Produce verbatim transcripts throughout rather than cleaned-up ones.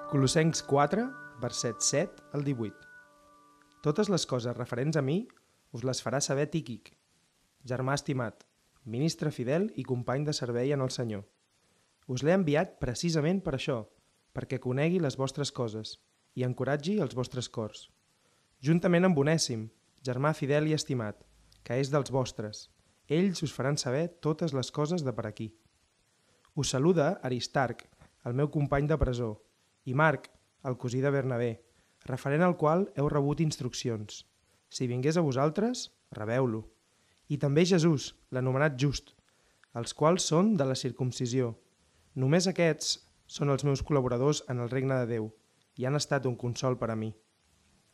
Colossencs quatre, versets set al divuit. Totes les coses referents a mi us les farà saber Tíquic, germà estimat, ministre fidel i company de servei en el Senyor. Us l'he enviat precisament per això, perquè conegui les vostres coses i encoratgi els vostres cors. Juntament amb Onèsim, germà fidel i estimat, que és dels vostres, ells us faran saber totes les coses de per aquí. Us saluda Aristarc, el meu company de presó, i Marc, el cosí de Bernabé, referent al qual heu rebut instruccions. Si vingués a vosaltres, rebeu-lo. I també Jesús, l'anomenat just, els quals són de la circumcisió. Només aquests són els meus col·laboradors en el regne de Déu i han estat un consol per a mi.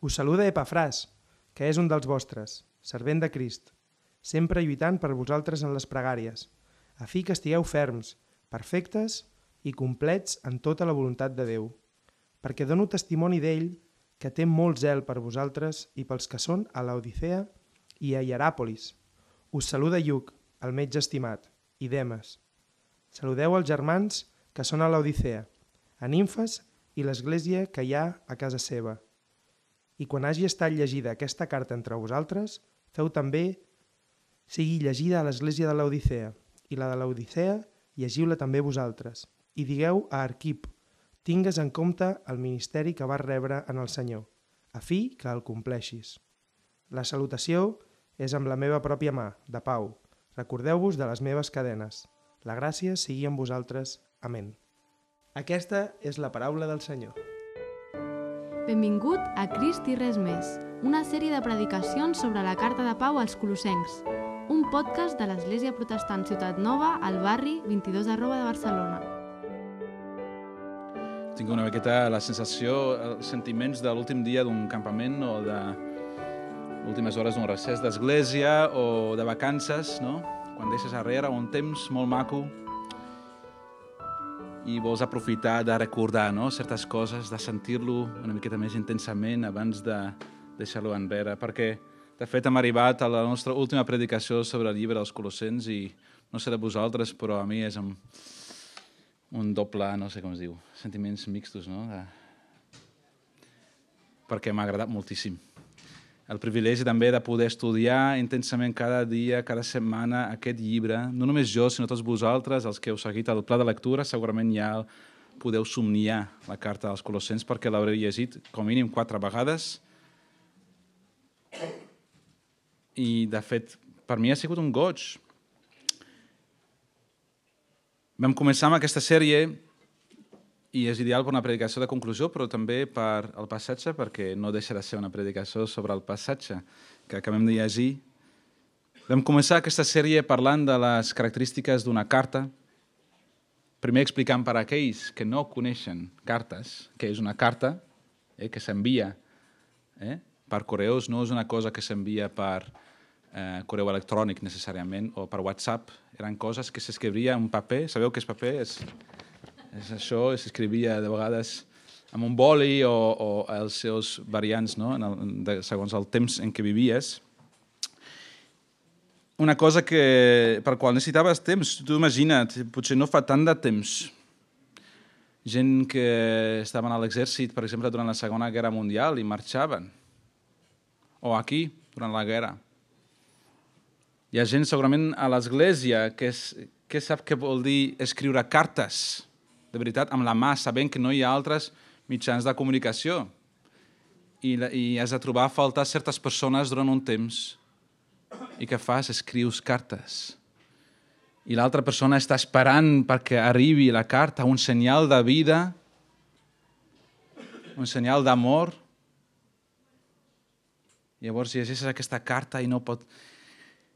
Us saluda Epafràs, que és un dels vostres, servent de Crist, sempre lluitant per vosaltres en les pregàries, a fi que estigueu ferms, perfectes i complets en tota la voluntat de Déu, perquè dono testimoni d'ell que té molt zel per vosaltres i pels que són a Laodicea i a Hieràpolis. Us saluda Lluc, el metge estimat, i Demes. Saludeu els germans que són a Laodicea, a Nimfes i l'església que hi ha a casa seva. I quan hagi estat llegida aquesta carta entre vosaltres, feu també sigui llegida a l'església de Laodicea, i la de Laodicea llegiu-la també vosaltres. I digueu a Arquip, tingues en compte el ministeri que vas rebre en el Senyor, a fi que el compleixis. La salutació és amb la meva pròpia mà, de Pau. Recordeu-vos de les meves cadenes. La gràcia sigui amb vosaltres. Amén. Aquesta és la paraula del Senyor. Benvingut a Crist i res més, una sèrie de predicacions sobre la carta de Pau als Colossencs, un podcast de l'Església Protestant Ciutat Nova al barri vint-i-dos arroba de Barcelona. Tinc una miqueta la sensació, els sentiments de l'últim dia d'un campament o de últimes hores d'un recés d'església o de vacances, no? Quan deixes arrere un temps molt maco i vols aprofitar de recordar, no? Certes coses, de sentir-lo una miqueta més intensament abans de deixar-lo enrere, perquè de fet hem arribat a la nostra última predicació sobre el llibre dels Colossens i no sé de vosaltres, però a mi és amb un doble, no sé com es diu, sentiments mixtos, no? De... perquè m'ha agradat moltíssim. El privilegi també de poder estudiar intensament cada dia, cada setmana aquest llibre, no només jo, sinó tots vosaltres, els que heu seguit el pla de lectura, segurament ja podeu somniar la carta dels Colossens perquè l'haureu llegit com a mínim quatre vegades. I, de fet, per mi ha sigut un goig. Vam començar amb aquesta sèrie i és ideal per una predicació de conclusió, però també per el passatge, perquè no deixa de ser una predicació sobre el passatge que acabem de llegir. Vam començar aquesta sèrie parlant de les característiques d'una carta, primer explicant per a aquells que no coneixen cartes, que és una carta eh, que s'envia eh, per correus, no és una cosa que s'envia per eh, correu electrònic necessàriament o per WhatsApp. Eren coses que s'escrivia en paper. Sabeu què és paper? És, és això, s'escrivia de vegades amb un boli o, o els seus variants, no? En el, de, segons el temps en què vivies. Una cosa que, per qual necessitaves temps. Tu imagina't, potser no fa tant de temps. Gent que estaven a l'exèrcit, per exemple, durant la Segona Guerra Mundial i marxaven. O aquí, durant la guerra. Hi ha gent segurament a l'església que, és, que sap què vol dir escriure cartes, de veritat, amb la mà, sabent que no hi ha altres mitjans de comunicació. I, i has de trobar a faltar certes persones durant un temps. I què fas? Escrius cartes. I l'altra persona està esperant perquè arribi la carta, un senyal de vida, un senyal d'amor. Llavors llegeixes aquesta carta i no pot...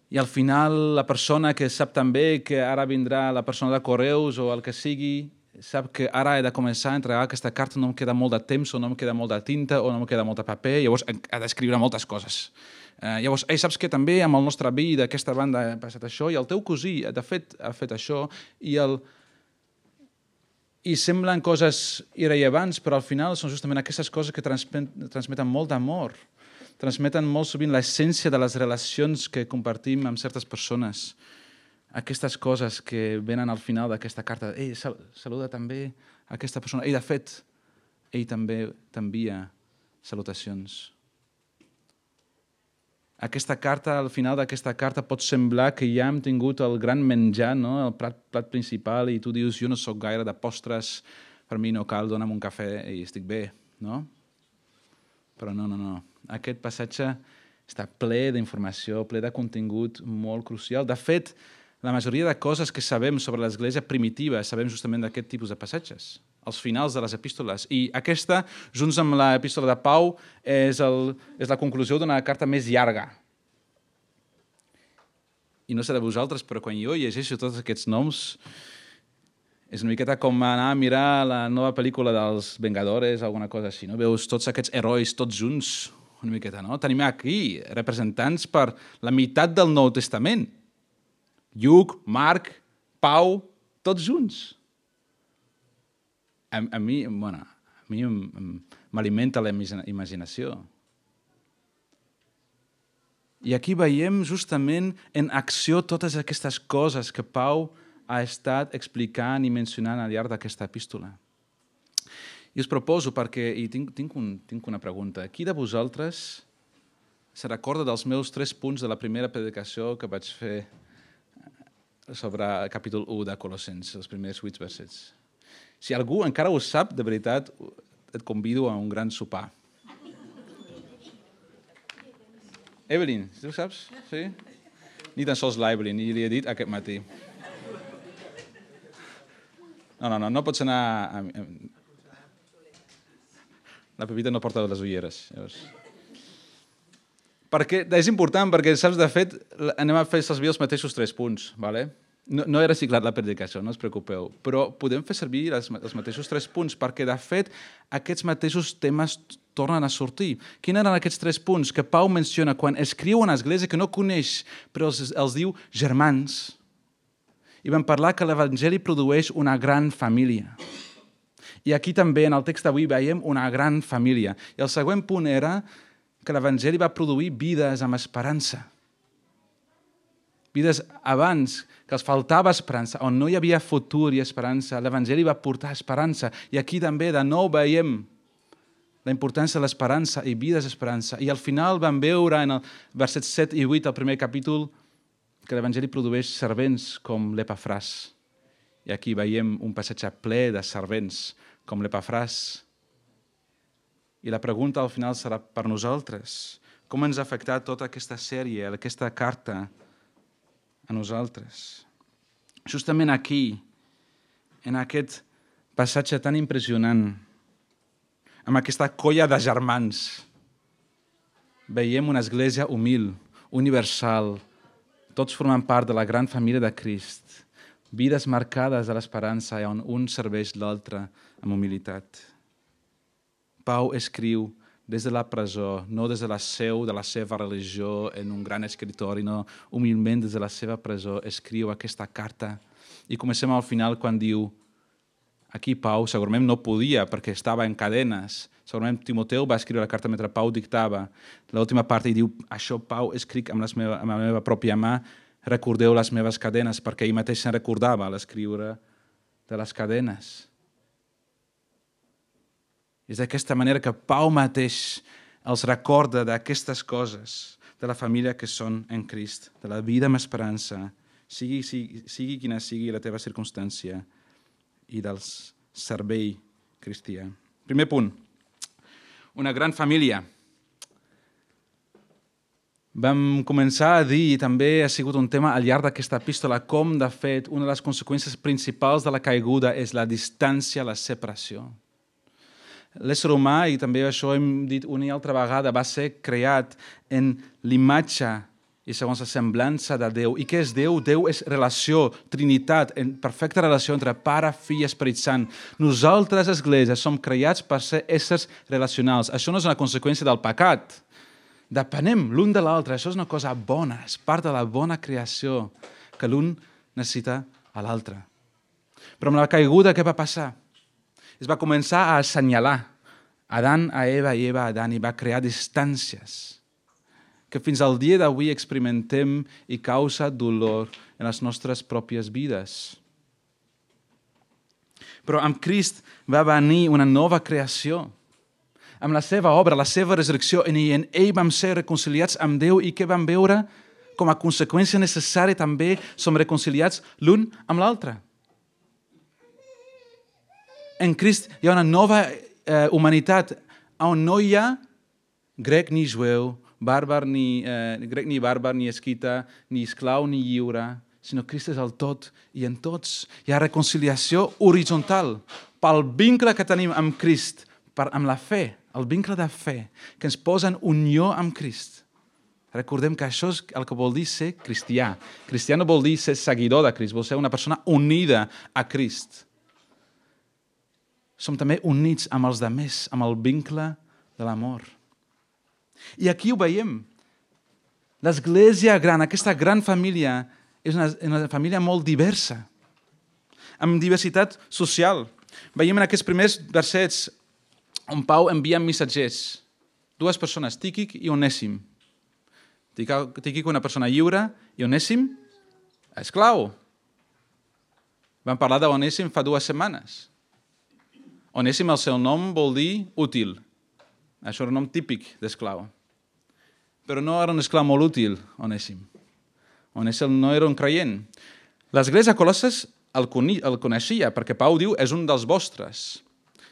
I al final la persona que sap també que ara vindrà la persona de correus o el que sigui, sap que ara he de començar a entregar aquesta carta, no em queda molt de temps o no em queda molt de tinta o no em queda molt de paper, llavors ha d'escriure moltes coses. Uh, llavors, ei, saps que també amb el nostre avi d'aquesta banda ha passat això i el teu cosí, de fet, ha fet això i el... I semblen coses irrellevants, però al final són justament aquestes coses que transmeten molt d'amor. Transmeten molt sovint l'essència de les relacions que compartim amb certes persones. Aquestes coses que venen al final d'aquesta carta. Ei, saluda també aquesta persona. Ei, de fet, ell també t'envia salutacions. Aquesta carta, al final d'aquesta carta pot semblar que ja hem tingut el gran menjar, no? El plat, plat principal, i tu dius, jo no sóc gaire de postres, per mi no cal, dona'm un cafè i estic bé, no? Però no, no, no. Aquest passatge està ple d'informació, ple de contingut molt crucial. De fet, la majoria de coses que sabem sobre l'Església primitiva sabem justament d'aquest tipus de passatges, als finals de les epístoles. I aquesta, junts amb l'epístola de Pau, és, el, és la conclusió d'una carta més llarga. I no sé de vosaltres, però quan jo llegeixo tots aquests noms, és una miqueta com anar a mirar la nova pel·lícula dels Vengadores, alguna cosa així, no? Veus tots aquests herois tots junts, una miqueta, no? Tenim aquí representants per la meitat del Nou Testament. Lluc, Marc, Pau, tots junts. A, a mi, bueno, a mi m'alimenta la imaginació. I aquí veiem justament en acció totes aquestes coses que Pau ha estat explicant i mencionant al llarg d'aquesta epístola. I us proposo, perquè i tinc, tinc, un, tinc una pregunta. Qui de vosaltres se recorda dels meus tres punts de la primera predicació que vaig fer sobre el capítol u de Colossens, els primers vuit versets? Si algú encara ho sap, de veritat, et convido a un gran sopar. Evelyn, tu ho saps? Sí? Ni tan sols l'Evelyn, i li he dit aquest matí. No, no, no, no pots anar... A... La Pepita no porta les ulleres. Llavors. Perquè és important, perquè, saps, de fet, anem a fer servir els mateixos tres punts, ¿vale? No, no he reciclat la predicació, no us preocupeu, però podem fer servir els, els mateixos tres punts, perquè, de fet, aquests mateixos temes tornen a sortir. Quins eren aquests tres punts que Pau menciona quan escriu una església que no coneix, però els, els diu germans? I vam parlar que l'Evangeli produeix una gran família. I aquí també, en el text d'avui, veiem una gran família. I el següent punt era que l'Evangeli va produir vides amb esperança. Vides abans, que els faltava esperança, on no hi havia futur i esperança. L'Evangeli va portar esperança. I aquí també, de nou, veiem la importància de l'esperança i vides d'esperança. I al final vam veure en el versets set i vuit del primer capítol que l'Evangeli produeix servents com l'Epafràs. I aquí veiem un passatge ple de servents com l'Epafràs. I la pregunta al final serà per nosaltres. Com ens ha afectat tota aquesta sèrie, aquesta carta a nosaltres? Justament aquí, en aquest passatge tan impressionant, amb aquesta colla de germans, veiem una església humil, universal, tots formant part de la gran família de Crist, vides marcades de l'esperança on un serveix l'altre amb humilitat. Pau escriu des de la presó, no des de la seu de la seva religió en un gran escritori, no, humilment des de la seva presó escriu aquesta carta. I comencem al final quan diu, aquí Pau segurament no podia perquè estava en cadenes, segurament Timoteu va escriure la carta mentre Pau dictava. L'última part i diu, això Pau escric amb, les meva, amb la meva pròpia mà, recordeu les meves cadenes, perquè ell mateix se'n recordava a l'escriure de les cadenes. És d'aquesta manera que Pau mateix els recorda d'aquestes coses, de la família que són en Crist, de la vida amb esperança, sigui, sigui, sigui quina sigui la teva circumstància, i del servei cristià. Primer punt, una gran família. Vam començar a dir, i també ha sigut un tema al llarg d'aquesta epístola, com, de fet, una de les conseqüències principals de la caiguda és la distància, la separació. L'ésser humà, i també això hem dit una i altra vegada, va ser creat en l'imatge i segons la semblança de Déu. I què és Déu? Déu és relació, trinitat, en perfecta relació entre Pare, Fill i Esperit Sant. Nosaltres, Església, som creats per ser éssers relacionals. Això no és una conseqüència del pecat. Depenem l'un de l'altre. Això és una cosa bona, és part de la bona creació, que l'un necessita a l'altre. Però amb la caiguda, què va passar? Es va començar a assenyalar Adán a Eva i Eva a Adán i va crear distàncies que fins al dia d'avui experimentem i causa dolor en les nostres pròpies vides. Però amb Crist va venir una nova creació. Amb la seva obra, la seva resurrecció, en ell vam ser reconciliats amb Déu i que vam veure com a conseqüència necessària també som reconciliats l'un amb l'altre. En Crist hi ha una nova eh, humanitat on no hi ha grec ni jueu, bàrbar ni, eh, grec ni bàrbar, ni esquita, ni esclau ni lliure, sinó Crist és el tot i en tots. Hi ha reconciliació horitzontal pel vincle que tenim amb Crist, per, amb la fe, el vincle de fe, que ens posa en unió amb Crist. Recordem que això és el que vol dir ser cristià. Cristià no vol dir ser seguidor de Crist, vol ser una persona unida a Crist. Som també units amb els demés, amb el vincle de l'amor. I aquí ho veiem. L'església gran, aquesta gran família, és una, una família molt diversa, amb diversitat social. Veiem en aquests primers versets on Pau envia missatgers, dues persones, Tíquic i Onèsim. Tíquic, una persona lliure, i Onèsim, esclau. Vam parlar d'Onèsim fa dues setmanes. Onèsim, el seu nom vol dir útil. Això era un nom típic d'esclau. Però no era un esclau molt útil, Onèsim. Onèsim no era un creient. L'església a Colosses el coneixia, perquè Pau diu és un dels vostres.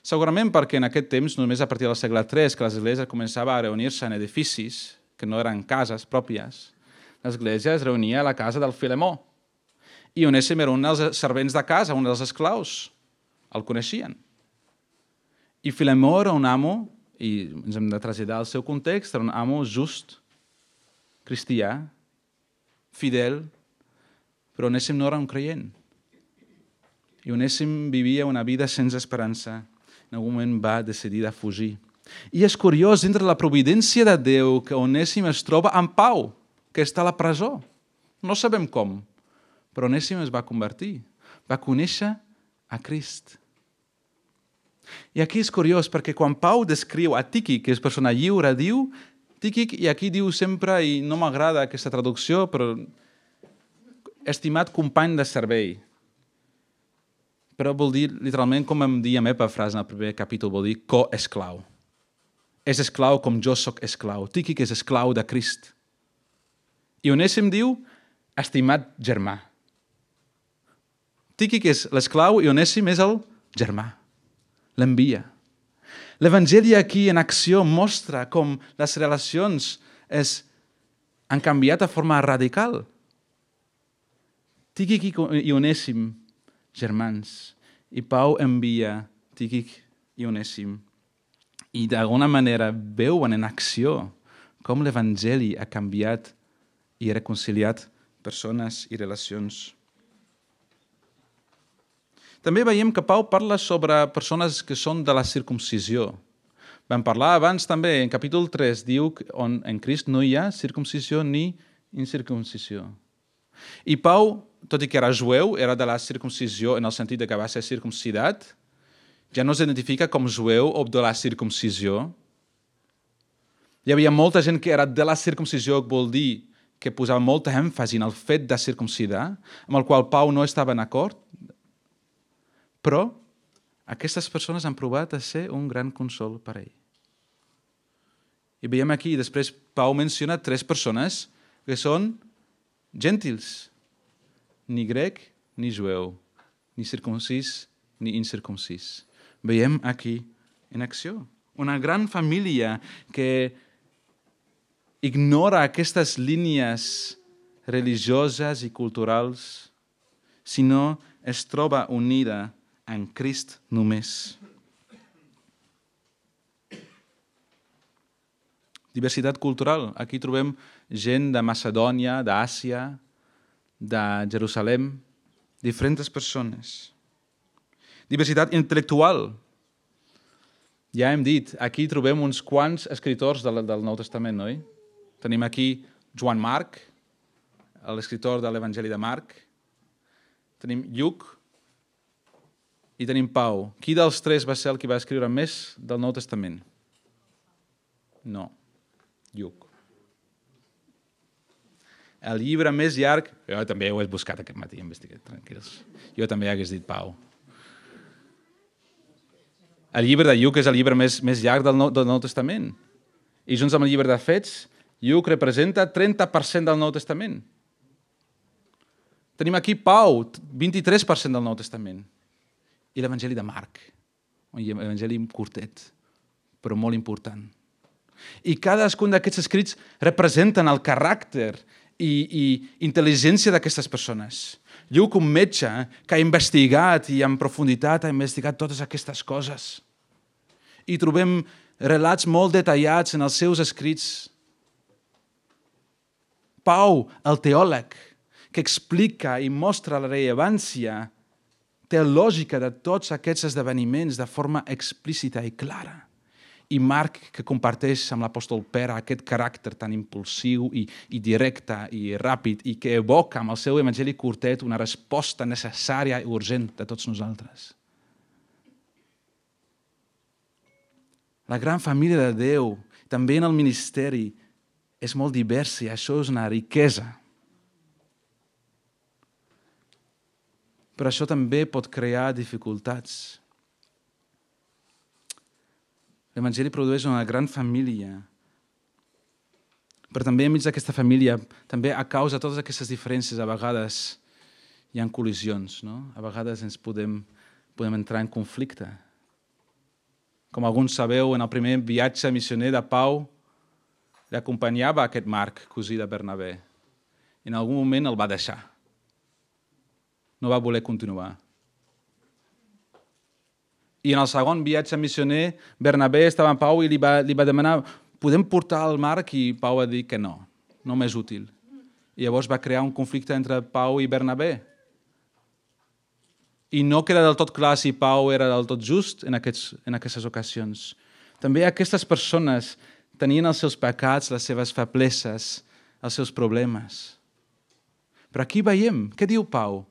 Segurament perquè en aquest temps, només a partir del segle tres, que l'església començava a reunir-se en edificis, que no eren cases pròpies, l'església es reunia a la casa del Filemó. I Onèsim era un dels servents de casa, un dels esclaus. El coneixien. I Filemó era un amo, i ens hem de traslladar al seu context, era un amo just, cristià, fidel, però Onèsim no era un creient. I Onèsim vivia una vida sense esperança. En algun moment va decidir de fugir. I és curiós, dintre la providència de Déu, que Onèsim es troba amb Pau, que està a la presó. No sabem com, però Onèsim es va convertir, va conèixer a Crist. I aquí és curiós, perquè quan Pau descriu a Tíquic, que és persona lliure, diu, Tíquic, i aquí diu sempre, i no m'agrada aquesta traducció, però estimat company de servei. Però vol dir, literalment, com em deia meva frase en el primer capítol, vol dir co-esclau. És esclau com jo sóc esclau. Tíquic és esclau de Crist. I Onèsim diu, estimat germà. Tíquic és l'esclau i Onèsim és el germà. L'envia. L'Evangeli aquí en acció mostra com les relacions es, han canviat de forma radical. Tíquic i Onèsim, germans, i Pau envia Tíquic i Onèsim. I d'alguna manera veuen en acció com l'Evangeli ha canviat i reconciliat persones i relacions. També veiem que Pau parla sobre persones que són de la circumcisió. Vam parlar abans també, en capítol tres, diu que en Crist no hi ha circumcisió ni incircumcisió. I Pau, tot i que era jueu, era de la circumcisió en el sentit que va ser circumcidat, ja no s'identifica com jueu o de la circumcisió. Hi havia molta gent que era de la circumcisió, que vol dir que posava molta èmfasi en el fet de circumcidar, amb el qual Pau no estava en acord, però aquestes persones han provat a ser un gran consol per ell. I veiem aquí, després Pau menciona tres persones que són gentils, ni grec ni jueu, ni circumcis ni incircumcis. Veiem aquí en acció una gran família que ignora aquestes línies religioses i culturals, sinó es troba unida en Crist només. Diversitat cultural. Aquí trobem gent de Macedònia, d'Àsia, de Jerusalem, diferents persones. Diversitat intel·lectual. Ja hem dit, aquí trobem uns quants escriptors del, del Nou Testament, oi? Tenim aquí Joan Marc, l'escriptor de l'Evangeli de Marc. Tenim Lluc i tenim Pau. Qui dels tres va ser el que va escriure més del Nou Testament? No. Lluc. El llibre més llarg, jo també ho he buscat aquest matí, investigat, tranquils. Jo també hagués dit Pau. El llibre de Lluc és el llibre més, més llarg del Nou, del Nou Testament. I junts amb el llibre de Fets, Lluc representa trenta per cent del Nou Testament. Tenim aquí Pau, vint-i-tres per cent del Nou Testament. I l'Evangeli de Marc, un evangeli curtet, però molt important. I cadascun d'aquests escrits representen el caràcter i, i intel·ligència d'aquestes persones. Lluc, un metge que ha investigat i en profunditat ha investigat totes aquestes coses. I trobem relats molt detallats en els seus escrits. Pau, el teòleg, que explica i mostra la rellevància teològica de tots aquests esdeveniments de forma explícita i clara. I Marc, que comparteix amb l'apòstol Pere aquest caràcter tan impulsiu i, i directe i ràpid i que evoca amb el seu evangeli curtet una resposta necessària i urgent de tots nosaltres. La gran família de Déu, també en el ministeri, és molt diversa i això és una riquesa. Però això també pot crear dificultats. L'Evangeli produeix una gran família, però també enmig d'aquesta família, també a causa de totes aquestes diferències, a vegades hi ha col·lisions, no? A vegades ens podem, podem entrar en conflicte. Com alguns sabeu, en el primer viatge missioner de Pau, l'acompanyava aquest Marc, cosí de Bernabé. I en algun moment el va deixar. No va voler continuar. I en el segon viatge missioner, Bernabé estava amb Pau i li va, li va demanar podem portar el Marc? I Pau va dir que no, no m'és útil. I llavors va crear un conflicte entre Pau i Bernabé. I no queda del tot clar si Pau era del tot just en, aquests, en aquestes ocasions. També aquestes persones tenien els seus pecats, les seves febleses, els seus problemes. Però aquí veiem, què diu Pau?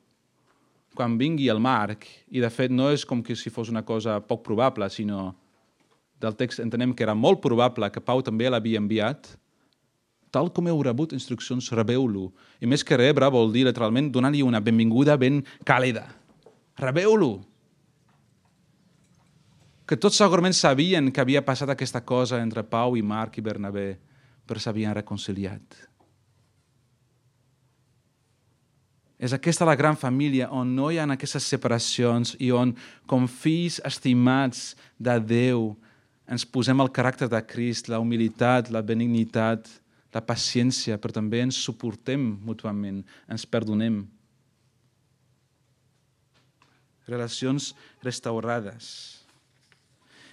Quan vingui el Marc, i de fet no és com que si fos una cosa poc probable, sinó del text entenem que era molt probable que Pau també l'havia enviat, tal com heu rebut instruccions, rebeu-lo. I més que rebre vol dir literalment donar-li una benvinguda ben càlida. Rebeu-lo. Que tots segurament sabien que havia passat aquesta cosa entre Pau i Marc i Bernabé, però s'havien reconciliat. És aquesta la gran família on no hi ha aquestes separacions i on, com fills estimats de Déu, ens posem el caràcter de Crist, la humilitat, la benignitat, la paciència, però també ens suportem mútuament, ens perdonem. Relacions restaurades.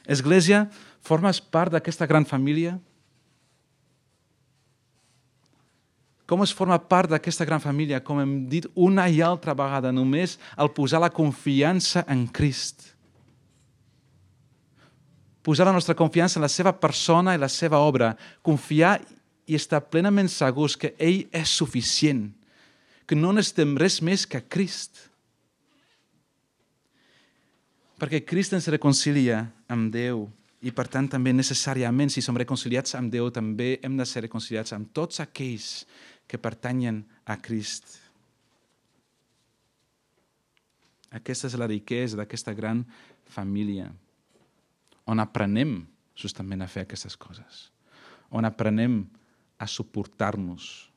Església, formes part d'aquesta gran família? Com es forma part d'aquesta gran família? Com hem dit una i altra vegada, només al posar la confiança en Crist. Posar la nostra confiança en la seva persona i la seva obra. Confiar i estar plenament segurs que ell és suficient, que no necessitem res més que Crist. Perquè Crist ens reconcilia amb Déu i, per tant, també necessàriament, si som reconciliats amb Déu, també hem de ser reconciliats amb tots aquells que pertanyen a Crist. Aquesta és la riquesa d'aquesta gran família, on aprenem justament a fer aquestes coses, on aprenem a suportar-nos,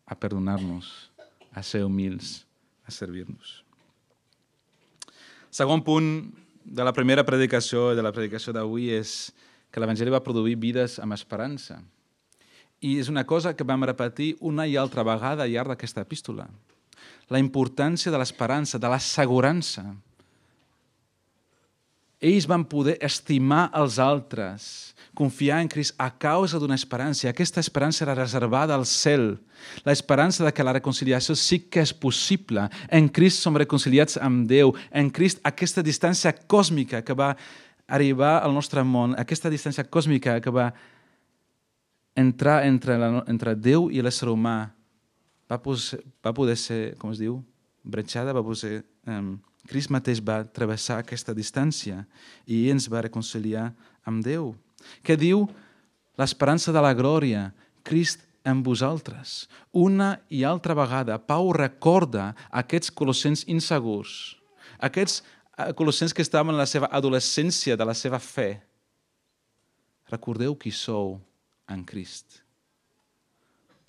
a perdonar-nos, a ser humils, a servir-nos. Segon punt de la primera predicació, de la predicació d'avui, és que l'Evangeli va produir vides amb esperança. I és una cosa que vam repetir una i altra vegada al llarg d'aquesta epístola. La importància de l'esperança, de l'assegurança. Ells van poder estimar els altres, confiar en Crist a causa d'una esperança. I aquesta esperança era reservada al cel. L'esperança de que la reconciliació sí que és possible. En Crist som reconciliats amb Déu. En Crist aquesta distància còsmica que va arribar al nostre món, aquesta distància còsmica que va entrar entre, la, entre Déu i l'ésser humà, va, poder, va poder ser, com es diu, bretxada, va poder... Um, Crist mateix va travessar aquesta distància i ens va reconciliar amb Déu. Què diu l'esperança de la glòria? Crist en vosaltres. Una i altra vegada, Pau recorda aquests colossens insegurs, aquests colossens que estaven en la seva adolescència de la seva fe, recordeu qui sou en Crist.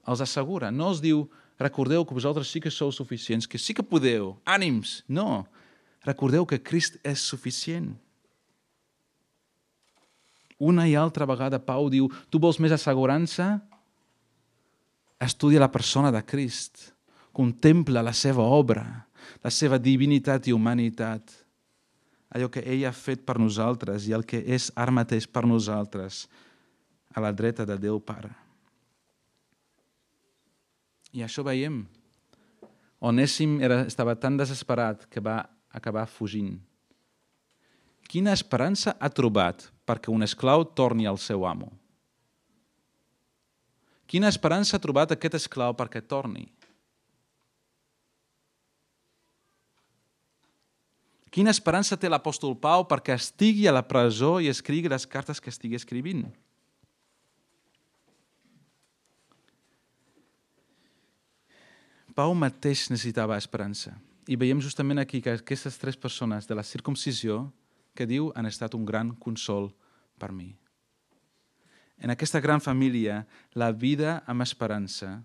Els assegura, no els diu, recordeu que vosaltres sí que sou suficients, que sí que podeu, ànims. No, recordeu que Crist és suficient. Una i altra vegada Pau diu, tu vols més assegurança? Estudia la persona de Crist. Contempla la seva obra, la seva divinitat i humanitat. Allò que ell ha fet per nosaltres i el que és ara mateix per nosaltres a la dreta de Déu Pare. I això veiem. Onèsim era, estava tan desesperat que va acabar fugint. Quina esperança ha trobat perquè un esclau torni al seu amo? Quina esperança ha trobat aquest esclau perquè torni? Quina esperança té l'apòstol Pau perquè estigui a la presó i escrigui les cartes que estigui escrivint? Pau mateix necessitava esperança. I veiem justament aquí que aquestes tres persones de la circumcisió que diu han estat un gran consol per mi. En aquesta gran família, la vida amb esperança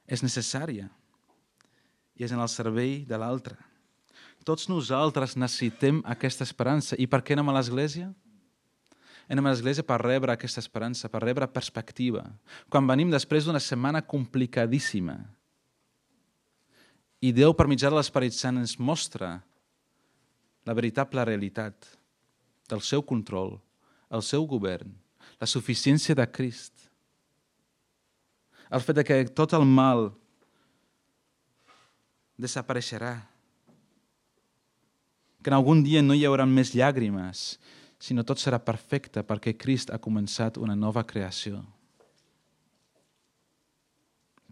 és necessària i és en el servei de l'altre. Tots nosaltres necessitem aquesta esperança. I per què anem a l'església? Anem a l'església per rebre aquesta esperança, per rebre perspectiva. Quan venim després d'una setmana complicadíssima i Déu, per mitjà de l'Esperit Sant, ens mostra la veritable realitat del seu control, el seu govern, la suficiència de Crist, el fet que tot el mal desapareixerà, que en algun dia no hi haurà més llàgrimes, sinó tot serà perfecte perquè Crist ha començat una nova creació.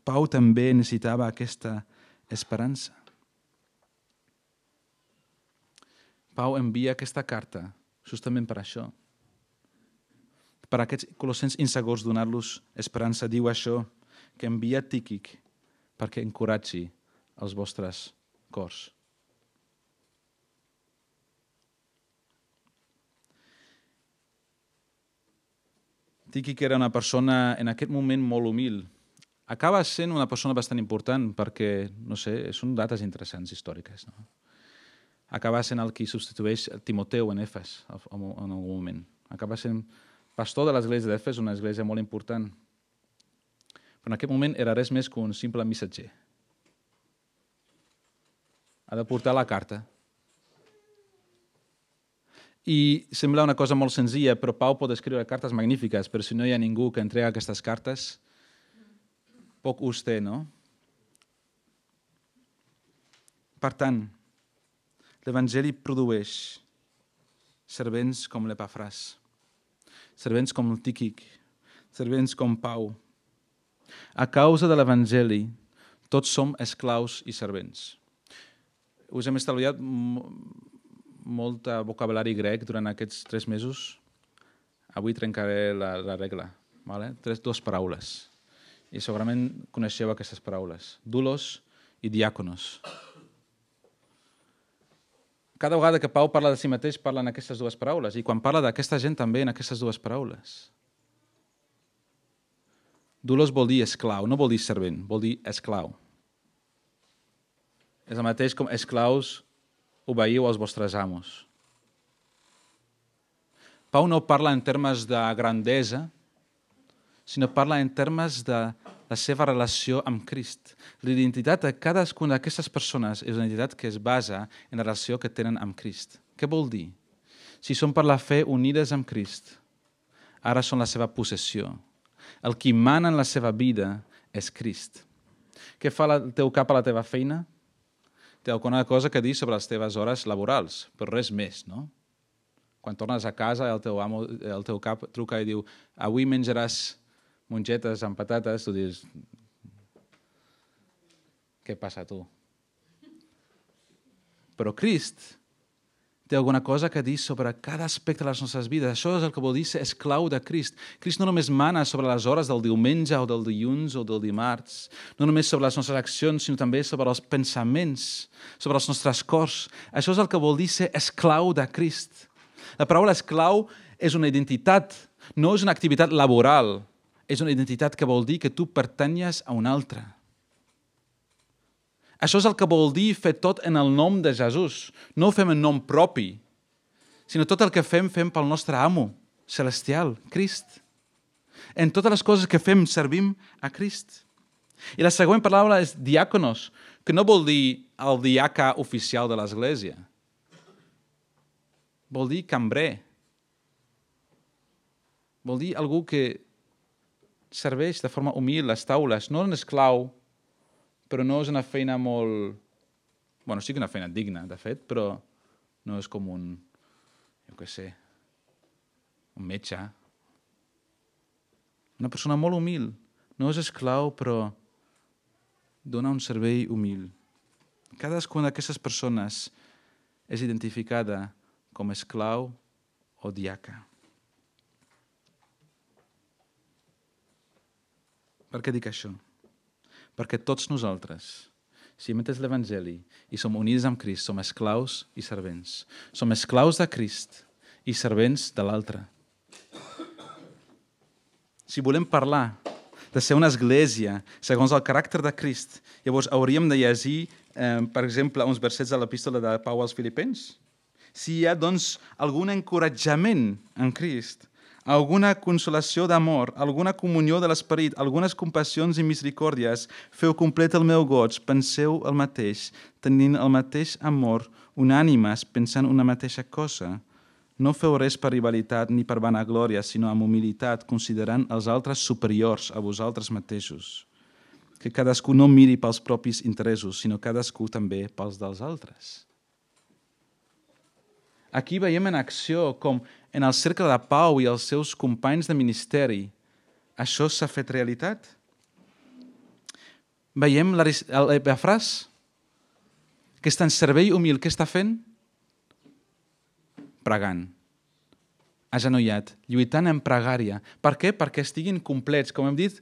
Pau també necessitava aquesta esperança. Pau envia aquesta carta justament per això. Per a aquests colossens insegurs donar-los esperança. Diu això, que envia Tíquic perquè encoratgi els vostres cors. Tíquic era una persona en aquest moment molt humil. Acaba sent una persona bastant important perquè, no sé, són dates interessants històriques. No? Acaba sent el qui substitueix Timoteu en Efes en algun moment. Acaba sent pastor de l'església d'Efes, una església molt important. Però en aquest moment era res més que un simple missatger. Ha de portar la carta. I sembla una cosa molt senzilla, però Pau pot escriure cartes magnífiques, però si no hi ha ningú que entrega aquestes cartes, poc ús té, no? Per tant, l'Evangeli produeix servents com l'Epafràs, servents com el Tíquic, servents com Pau. A causa de l'Evangeli, tots som esclaus i servents. Us hem estalviat molt vocabulari grec durant aquests tres mesos. Avui trencaré la, la regla. Vale? Tres, dues paraules. I segurament coneixeu aquestes paraules. Doulos i diàconos. Cada vegada que Pau parla de si mateix, parla en aquestes dues paraules. I quan parla d'aquesta gent també en aquestes dues paraules. Doulos vol dir esclau, no vol dir servent, vol dir esclau. És el mateix com esclaus obeieu als vostres amos. Pau no parla en termes de grandesa, sinó parla en termes de la seva relació amb Crist. L'identitat de cadascuna d'aquestes persones és una identitat que es basa en la relació que tenen amb Crist. Què vol dir? Si són per la fe unides amb Crist, ara són la seva possessió. El qui mana en la seva vida és Crist. Què fa el teu cap a la teva feina? Té alguna cosa que dir sobre les teves hores laborals, però res més, no? Quan tornes a casa, el teu, amo, el teu cap truca i diu avui menjaràs mongetes amb patates, tu dius què passa tu? Però Crist té alguna cosa que dir sobre cada aspecte de les nostres vides. Això és el que vol dir ser esclau de Crist. Crist no només mana sobre les hores del diumenge o del dilluns o del dimarts, no només sobre les nostres accions, sinó també sobre els pensaments, sobre els nostres cors. Això és el que vol dir ser esclau de Crist. La paraula esclau és una identitat, no és una activitat laboral, és una identitat que vol dir que tu pertanyes a un altre. Això és el que vol dir fer tot en el nom de Jesús. No ho fem en nom propi, sinó tot el que fem, fem pel nostre amo celestial, Crist. En totes les coses que fem, servim a Crist. I la següent paraula és diàconos, que no vol dir el diaca oficial de l'Església. Vol dir cambrer. Vol dir algú que serveix de forma humil les taules, no un esclau, però no és una feina molt... Bueno, sí que una feina digna, de fet, però no és com un, jo què sé, un metge. Una persona molt humil. No és esclau, però dona un servei humil. Cadascuna d'aquestes persones és identificada com esclau o diaca. Per què dic això? Perquè tots nosaltres, si imites l'Evangeli i som units amb Crist, som esclaus i servents. Som esclaus de Crist i servents de l'altre. Si volem parlar de ser una església segons el caràcter de Crist, llavors hauríem de llegir, eh, per exemple, uns versets de l'epístola de Pau als Filipens. Si hi ha, doncs, algun encoratjament en Crist, alguna consolació d'amor, alguna comunió de l'esperit, algunes compassions i misericòrdies, feu complet el meu goig, penseu el mateix, tenint el mateix amor, unànimes, pensant una mateixa cosa. No feu res per rivalitat ni per vanaglòria, sinó amb humilitat, considerant els altres superiors a vosaltres mateixos. Que cadascú no miri pels propis interessos, sinó cadascú també pels dels altres. Aquí veiem en acció com en el cercle de Pau i els seus companys de ministeri això s'ha fet realitat. Veiem l'Epafràs, que està en servei humil. Què està fent? Pregant, agenollat, lluitant en pregària. Per què? Perquè estiguin complets, com hem dit,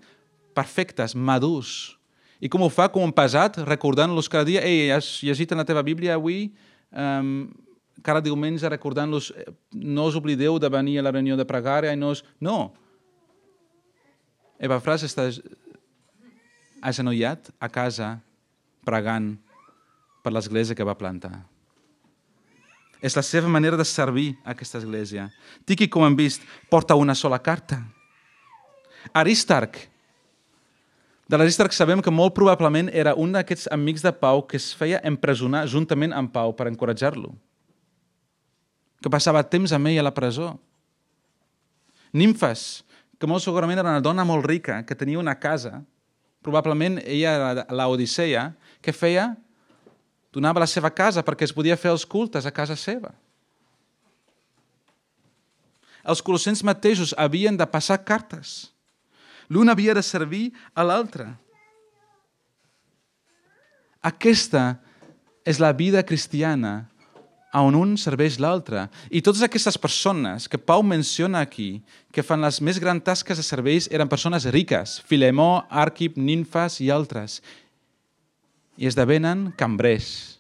perfectes, madurs. I com ho fa? Com un pesat, recordant-los cada dia. Ei, has llegit en la teva Bíblia avui? Um, cada diumenge recordant-los, no us oblideu de venir a la reunió de pregària. I no, us... no. Epafràs està agenollat a casa, pregant per l'església que va plantar. És la seva manera de servir a aquesta església. Tíquic, com hem vist, porta una sola carta. Aristarc. De l'Aristarc sabem que molt probablement era un d'aquests amics de Pau que es feia empresonar juntament amb Pau per encoratjar-lo. Que passava temps amb ell a la presó. Nimfes, que molt segurament era una dona molt rica, que tenia una casa, probablement ella era l'Odisseia, que feia... donava la seva casa perquè es podia fer els cultes a casa seva. Els colossens mateixos havien de passar cartes. L'un havia de servir a l'altre. Aquesta és la vida cristiana on un serveix l'altre. I totes aquestes persones que Pau menciona aquí, que fan les més grans tasques de serveis, eren persones riques. Filemó, Àrquip, Nimfes i altres. I esdevenen cambrers,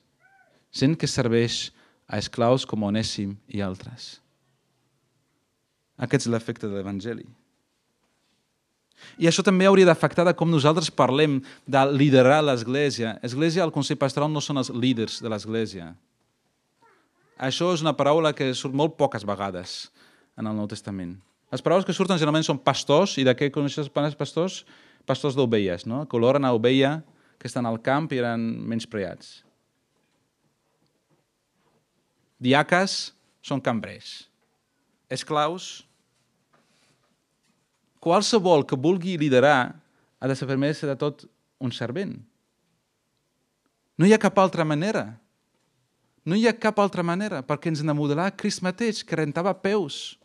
gent que serveix a esclaus com Onèsim i altres. Aquest és l'efecte de l'Evangeli. I això també hauria d'afectar de com nosaltres parlem de liderar l'Església. Església, el Consell Pastoral no són els líders de l'Església. Això és una paraula que surt molt poques vegades en el Nou Testament. Les paraules que surten generalment són pastors, i de què coneixes els pastors? Pastors d'ovelles, no? Que oloren a ovella que estan al camp i eren menyspreats. Diaques són cambrers. Esclaus, qualsevol que vulgui liderar ha de ser primer de tot un servent. No hi ha cap altra manera. No hi ha cap altra manera, perquè ens n'ha modelat Crist mateix, que rentava peus.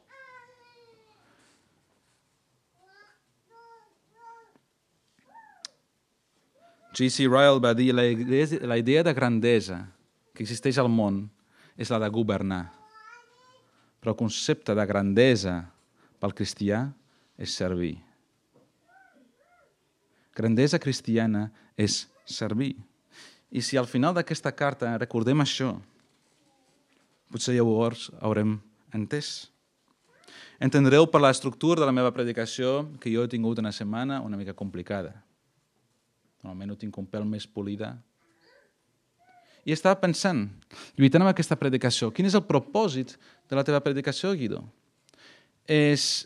J C Ryle va dir la idea, la idea de grandesa que existeix al món és la de governar. Però el concepte de grandesa pel cristià és servir. Grandesa cristiana és servir. I si al final d'aquesta carta recordem això, potser llavors haurem entès. Entendreu per l'estructura de la meva predicació que jo he tingut una setmana una mica complicada. Normalment ho tinc un pèl més polida. I estava pensant, lluitant amb aquesta predicació, quin és el propòsit de la teva predicació, Guido? És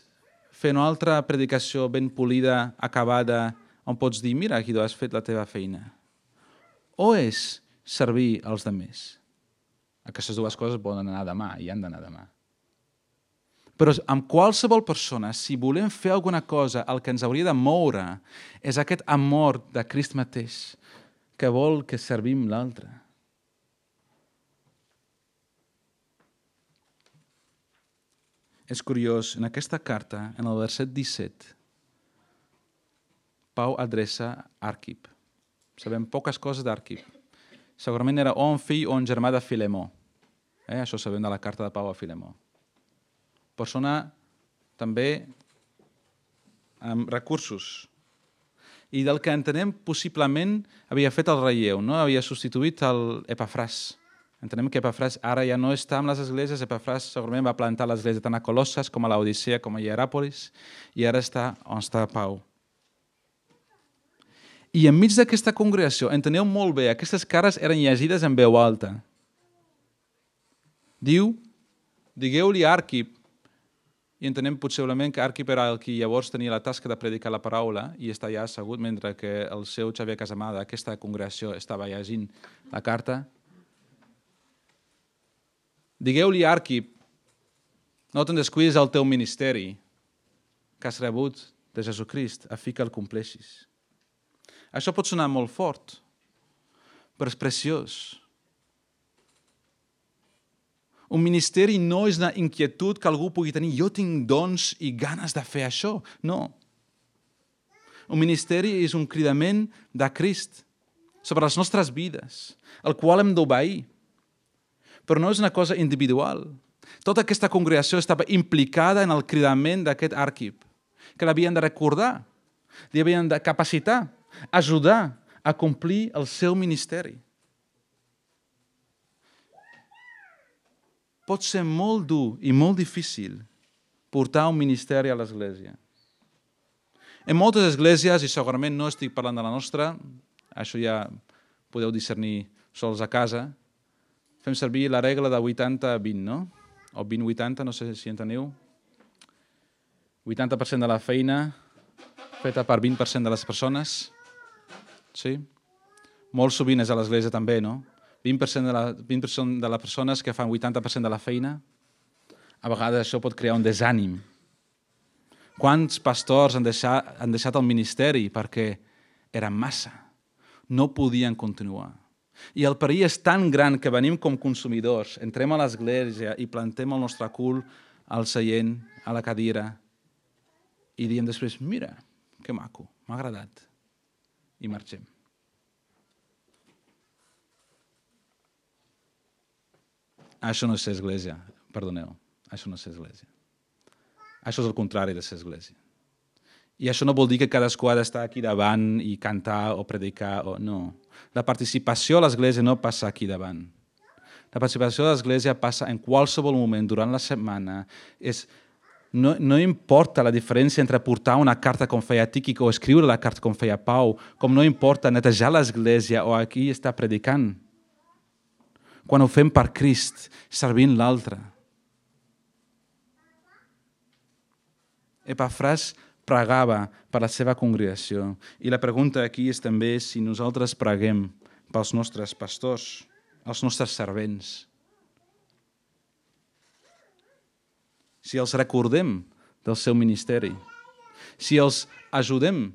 fer una altra predicació ben polida, acabada, on pots dir, mira, Guido, has fet la teva feina. O és servir als demés? Aquestes dues coses poden anar demà i han d'anar demà. Però amb qualsevol persona, si volem fer alguna cosa, el que ens hauria de moure és aquest amor de Crist mateix, que vol que servim l'altre. És curiós, en aquesta carta, en el verset disset, Pau adreça Àrquip. Sabem poques coses d'Àrquip. Segurament era o un fill o un germà de Filemó. Eh? Això sabem de la carta de Pau a Filemó. Persona també amb recursos. I del que entenem possiblement havia fet el relleu, no? Havia substituït l'Epafràs. Entenem que Epafràs ara ja no està amb les esglésies. Epafràs segurament va plantar l'església tant a Colosses com a Laodicea com a Hieràpolis i ara està on està Pau. I enmig d'aquesta congregació, enteneu molt bé, aquestes cares eren llegides en veu alta. Diu, digueu-li a Àrquip, i entenem possiblement que Àrquip era el qui llavors tenia la tasca de predicar la paraula i està ja assegut mentre que el seu Xavier Casamada, aquesta congregació, estava llegint la carta. Digueu-li a Àrquip, no te'n descuidis del teu ministeri que has rebut de Jesucrist, a fi que el compleixis. Això pot sonar molt fort, però és preciós. Un ministeri no és una inquietud que algú pugui tenir. Jo tinc dons i ganes de fer això. No. Un ministeri és un cridament de Crist sobre les nostres vides, el qual hem d'obeir. Però no és una cosa individual. Tota aquesta congregació estava implicada en el cridament d'aquest Àrquip, que l'havien de recordar, l'havien de capacitar, ajudar a complir el seu ministeri. Pot ser molt dur i molt difícil portar un ministeri a l'església. En moltes esglésies, i segurament no estic parlant de la nostra, això ja podeu discernir sols a casa, fem servir la regla de vuitanta vint, no? O vint vuitanta, no sé si enteniu. vuitanta per cent de la feina feta per vint per cent de les persones. Sí? Molt sovint és a l'església també, no? vint per cent de, la, vint per cent de les persones que fan vuitanta per cent de la feina, a vegades això pot crear un desànim. Quants pastors han deixat, han deixat el ministeri perquè era massa, no podien continuar. I el perill és tan gran que venim com consumidors, entrem a l'església i plantem el nostre cul al seient, a la cadira, i diem després, mira, que maco, m'ha agradat, i marxem. Això no és ser església, perdoneu, això no és ser església. Això és el contrari de ser església. I això no vol dir que cadascú ha d'estar aquí davant i cantar o predicar, o no. La participació a l'església no passa aquí davant. La participació a l'església passa en qualsevol moment durant la setmana. És, no, no importa la diferència entre portar una carta com feia Tíquic o escriure la carta com feia Pau, com no importa netejar l'església o aquí estar predicant. Quan ho fem per Crist, servint l'altre. Epafràs pregava per la seva congregació. I la pregunta aquí és també si nosaltres preguem pels nostres pastors, els nostres servents. Si els recordem del seu ministeri. Si els ajudem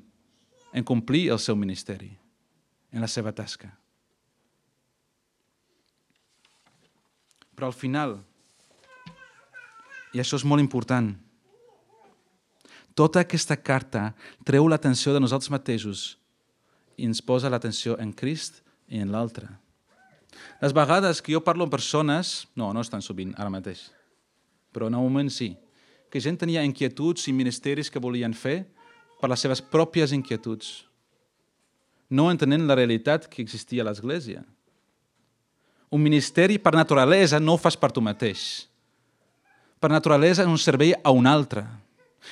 en complir el seu ministeri, en la seva tasca. Però al final, i això és molt important, tota aquesta carta treu l'atenció de nosaltres mateixos i ens posa l'atenció en Crist i en l'altre. Les vegades que jo parlo amb persones, no, no és tan sovint, ara mateix, però en un moment sí, que gent tenia inquietuds i ministeris que volien fer per les seves pròpies inquietuds, no entenent la realitat que existia a l'Església. Un ministeri, per naturalesa, no ho fas per tu mateix. Per naturalesa és un servei a un altre.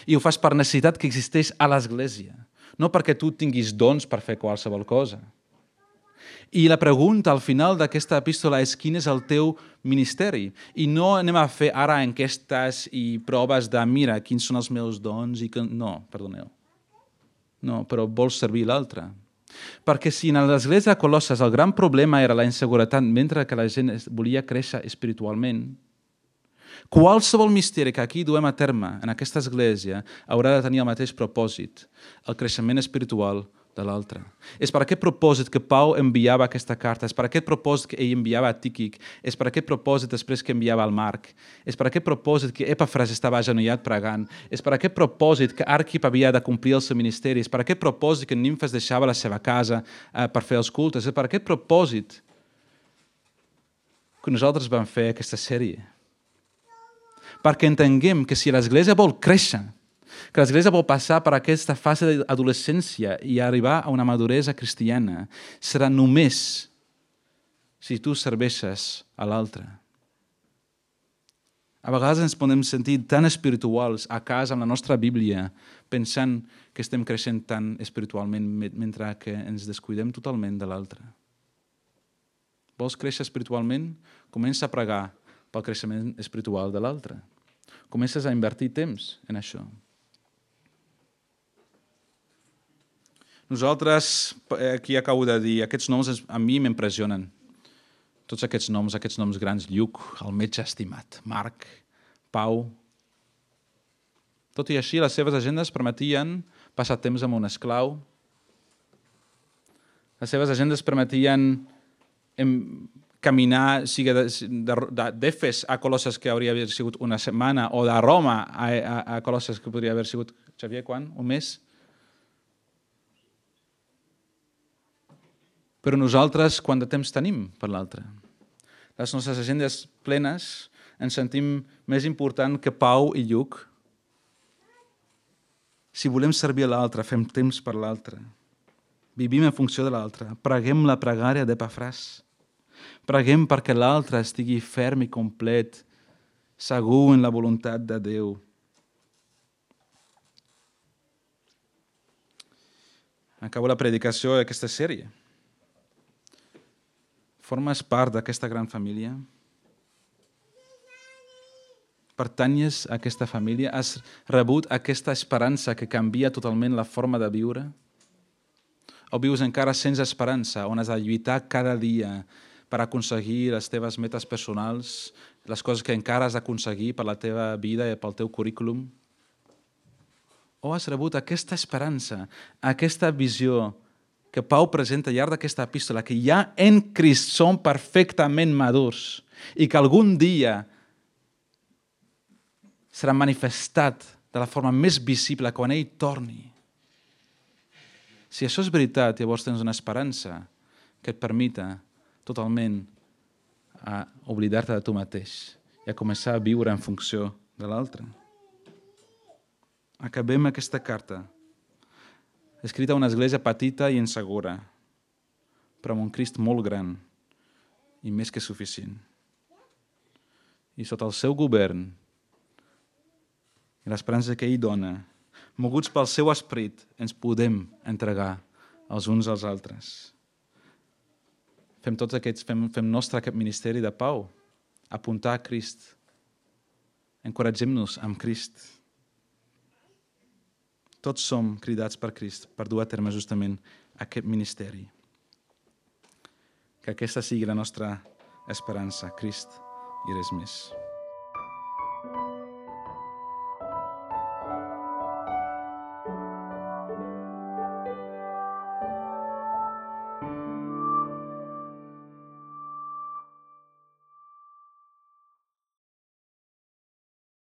I ho fas per necessitat que existeix a l'Església, no perquè tu tinguis dons per fer qualsevol cosa. I la pregunta al final d'aquesta epístola és quin és el teu ministeri. I no anem a fer ara enquestes i proves de mira, quins són els meus dons i que... No, perdoneu. No, però vols servir l'altre. Perquè si en l'església de Colosses el gran problema era la inseguretat mentre que la gent volia créixer espiritualment, qualsevol misteri que aquí duem a terme en aquesta església haurà de tenir el mateix propòsit, el creixement espiritual de l'altre. És per aquest propòsit que Pau enviava aquesta carta, és per aquest propòsit que ell enviava a Tíquic, és per aquest propòsit després que enviava al Marc, és per aquest propòsit que Epafras estava agenollat pregant, és per aquest propòsit que Arquip havia de complir el seu ministeri, és per aquest propòsit que Nimfes deixava la seva casa eh, per fer els cultes, és per aquest propòsit que nosaltres vam fer aquesta sèrie. Perquè entenguem que si l'Església vol créixer, que l'Església vol passar per aquesta fase d'adolescència i arribar a una maduresa cristiana, serà només si tu serveixes a l'altre. A vegades ens podem sentir tan espirituals a casa amb la nostra Bíblia, pensant que estem creixent tant espiritualment mentre que ens descuidem totalment de l'altre. Vols créixer espiritualment? Comença a pregar pel creixement espiritual de l'altre. Comences a invertir temps en això. Nosaltres, aquí acabo de dir, aquests noms a mi m'impressionen. Tots aquests noms, aquests noms grans, Lluc, el metge estimat, Marc, Pau. Tot i així, les seves agendes permetien passar temps amb un esclau. Les seves agendes permetien caminar, sigui d'Efes a Colosses, que hauria d'haver sigut una setmana, o de Roma a, a, a Colosses, que podria haver sigut, Xavier, quan? Un mes? Però nosaltres, quant de temps tenim per l'altre? Les nostres agendes plenes ens sentim més important que Pau i Lluc. Si volem servir a l'altre, fem temps per l'altre. Vivim en funció de l'altre. Preguem la pregària d'Epafras. Preguem perquè l'altre estigui ferm i complet, segur en la voluntat de Déu. Acabo la predicació d'aquesta sèrie. Formes part d'aquesta gran família? Pertanyes a aquesta família? Has rebut aquesta esperança que canvia totalment la forma de viure? O vius encara sense esperança, on has de lluitar cada dia per aconseguir les teves metes personals, les coses que encara has d'aconseguir per la teva vida i pel teu currículum? O has rebut aquesta esperança, aquesta visió que Pau presenta al llarg d'aquesta epístola, que ja en Crist som perfectament madurs i que algun dia serà manifestat de la forma més visible quan ell torni. Si això és veritat, llavors tens una esperança que et permita totalment a oblidar-te de tu mateix i a començar a viure en funció de l'altre. Acabem aquesta carta escrita a una església petita i insegura, però amb un Crist molt gran i més que suficient. I sota el seu govern i l'esperança que ell dona, moguts pel seu esperit, ens podem entregar els uns als altres. Fem tots aquests, fem, fem nostre aquest ministeri de Pau, apuntar a Crist. Encoratgem-nos amb Crist. Tots som cridats per Crist per dur a terme justament aquest ministeri. Que aquesta sigui la nostra esperança, Crist i res més.